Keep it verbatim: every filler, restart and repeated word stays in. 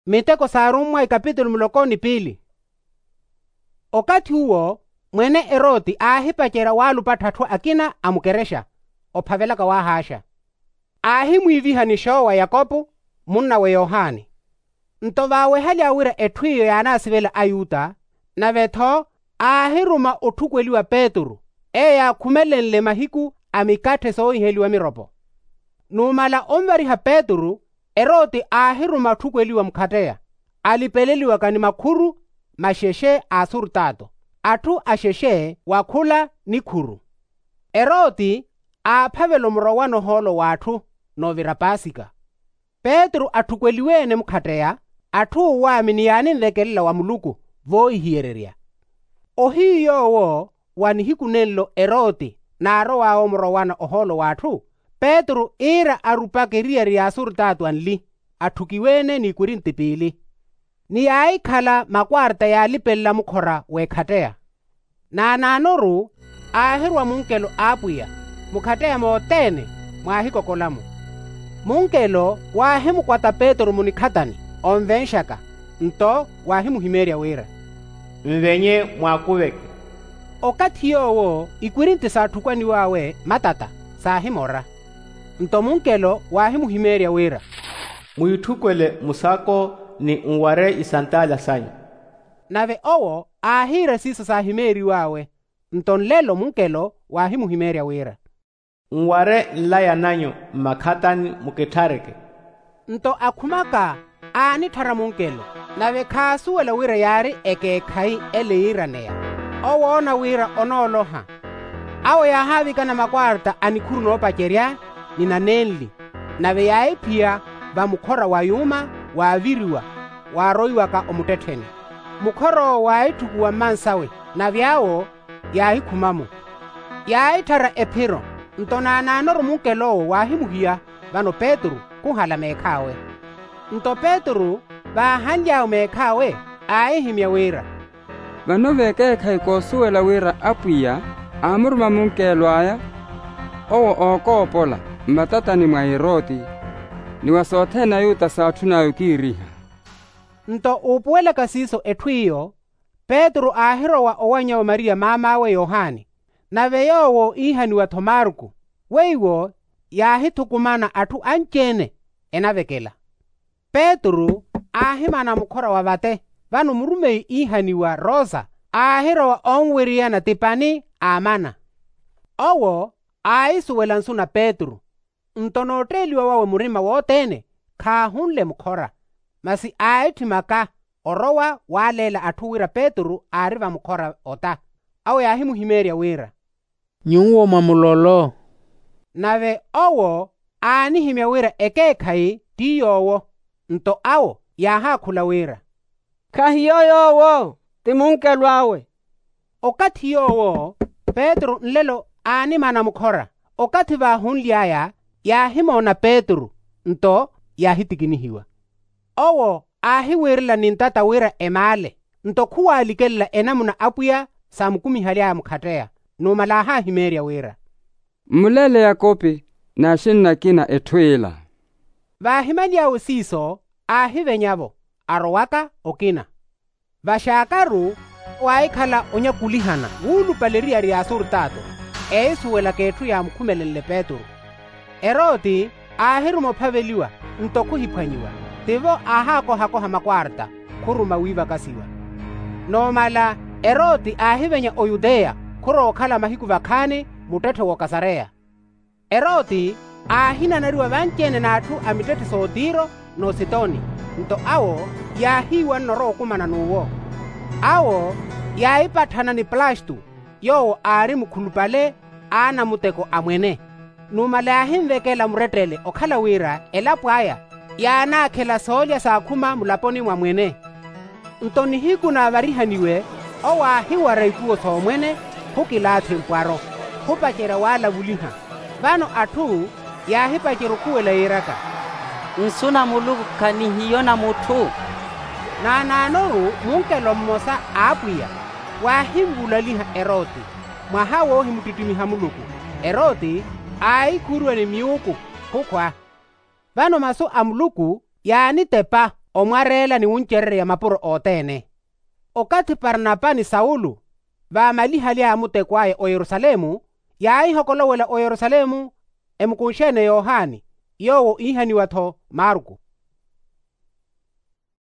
Miteko s'arummwa ikapitulu muloko ni piili. Okathi uwo mwene eroti aahipacerya waalupattha atthu akina a mukerexa ophavelaka wahaaxa. Aahimwiiviha ni xoowa yakopo munnawe yohani. Nto vaawehaly'awe wira etthu iyo yaanaasivela ayuta, nave-tho aahiruma otthukweliwa petru, eyo yaakhumelenle mahiku a mikatthe soohiheliwa miropo. Numala onvariha petru, eroti aahiruma otthukweliwa mukhatteya, alipeleliwaka ni makhuru maxexe a asurtato, atthu axexe wa khula nikhuru. Eroti aaphavela omurowana ohoolo w'atthu, n'ovira pasika. Petru atthukweliwe-ene mukhatteya, atthu uwaamini yaaninvekelela wa muluku voohihiyererya. Ohiyu yoowo wa nihiku nenlo eroti naarow'awe omurowana ohoolo w'atthu, petru iira arupaka eriyari y'asurtato anli, atthukiwe-ene n'ikwirinti piili. Ni yaahikhala makwarta yaalipelela mukhora w'ekhatteya. Naanaanoru aahirwa munkelo a apwiya, mukhatteya mothene mwaahikokola-mo. Munkelo waahimukwata petru munikhatani onvenxaka, nto waahimuhimeerya wira, nvenye mwaakuveke. Okathi yoowo ikwirinti saathukwaniw'awe matata saahimora. Nto munkelo waahimuhimeerya wira, mwiitthukwele musako ni nware isantaala sanyu. Nave owo aahiira siiso saahimeeriw'awe. Nto nlelo munkelo waahimuhimeerya wira, nware nlaya nanyu mmakhatani mukitthareke. Nto akhumaka aanitthara munkelo, nave khaasuwela wira yaari ekeekhayi ele yiiraneya. Owo oona wira onooloha. Awo yaahaavikana makwarta a nikhuru noopacerya ni nanenli, nave yaahiphiya vamukhora wa yuuma waaviriwa waaroiwaka omuttettheni. Mukhor'owo waahitthukuwa mmansawe, nave awo yaahikhuma-mo. Yaahitthara ephiro, nto naanaanoru munkel'owo waahimuhiya vano petru khuhala meekh'awe. Nto petru vaahanly'awe meekh'awe, aahihimya wira, vano v'ekeekhayi koosuwela wira apwiya aamuruma munkelw'aya, owo ookoopola mmatatani mwa eroti, ni wa sothene ayuta saatthun'aya okiiriha. Nto uupuwelaka siiso etthu iyo, petru aahirowa owanny'awe mariya maam'awe yohani, nave yoowo iihaniwa-tho marku. Weiwo yaahithukumana atthu anci-ene enavekela. Petru aahimana mukhora wa vate, vano murumeyi iihaniwa rosa aahirowa onweriyana tipani aamana. Owo aahisuwela nsu na petru, nto nootteeliwa wawe murima wothene khaahunle mukhora, masi aahitthimaka orowa waaleela atthu wira petru aari vamukhora ota. Awo yaahimuhimeerya wira, nyuwo mwa mulolo. Nave owo aanihimya wira ekeekhayi ti yoowo. Nto awo yaahaakhula wira, khahiyo yoowo, ti munkelw'awe. Okathi yoowo petru nlelo aanimana mukhora, okathi vaahunly'aya yaahimoona petru, nto yaahitikinihiwa. Owo aahiwiirela ni ntata wira emaale, nto khuwaalikelela enamuna apwiya saamukumihaly'aya mukhatteya. Numala aahaahimeerya wira, mmulele yakopi n'axinna akina etthu ila. Vaahimaly'awe siiso aahivenya-vo, arowaka okina. Vaxaakaru waahikhala onyakulihana wuulupale eriyari y'asurtato, eeisuwelaka etthu yaamukhumelenle petru. Eroti aahiruma ophaveliwa, nto khuhiphwanyiwa, tivo aahaakohakoha makwarta khuruma wiivakasiwa. Numala eroti aahivenya oyuteya khurowa okhala mahiku vakhaani muttetthe w'okasareya. Eroti aahinanariwa vanci-ene n'atthu a mittetthe s'otiro n'ositoni, nto awo yaahiiwanna orowa okumana n'uwo. Awo yaahipatthana ni plastu, yoowo aari mukhulupale a anamuteko a mwene. Numala yaahinvekela murettele okhala wira elapo aya yaanaakhela soolya saakhuma mulaponi mwa mwene. Nto nihiku naavarihaniwe, owo aahiwara ikuwo s'omwene, khukilaathi mpwaro, khupacerya waalavuliha. Vano atthu yaahipacerya okhuwela yiiraka, nsu na muluku khanihiyo na mutthu. Naanaanoru munkelo mmosa a apwiya waahinvulaliha eroti, mwaha woohimuttittimiha muluku. Eroti aahikhuuriwa ni miuku khukhwa. Vano masu a muluku yaanitepa, omwareela ni wuncererya mapuro othene. Okathi parnapa ni saulo vaamalihaly'aya muteko aya oyerusalemu, yaahihokolowela oyerusalemu emukunxe-ene yohani, yoowo iihaniwa-tho marku.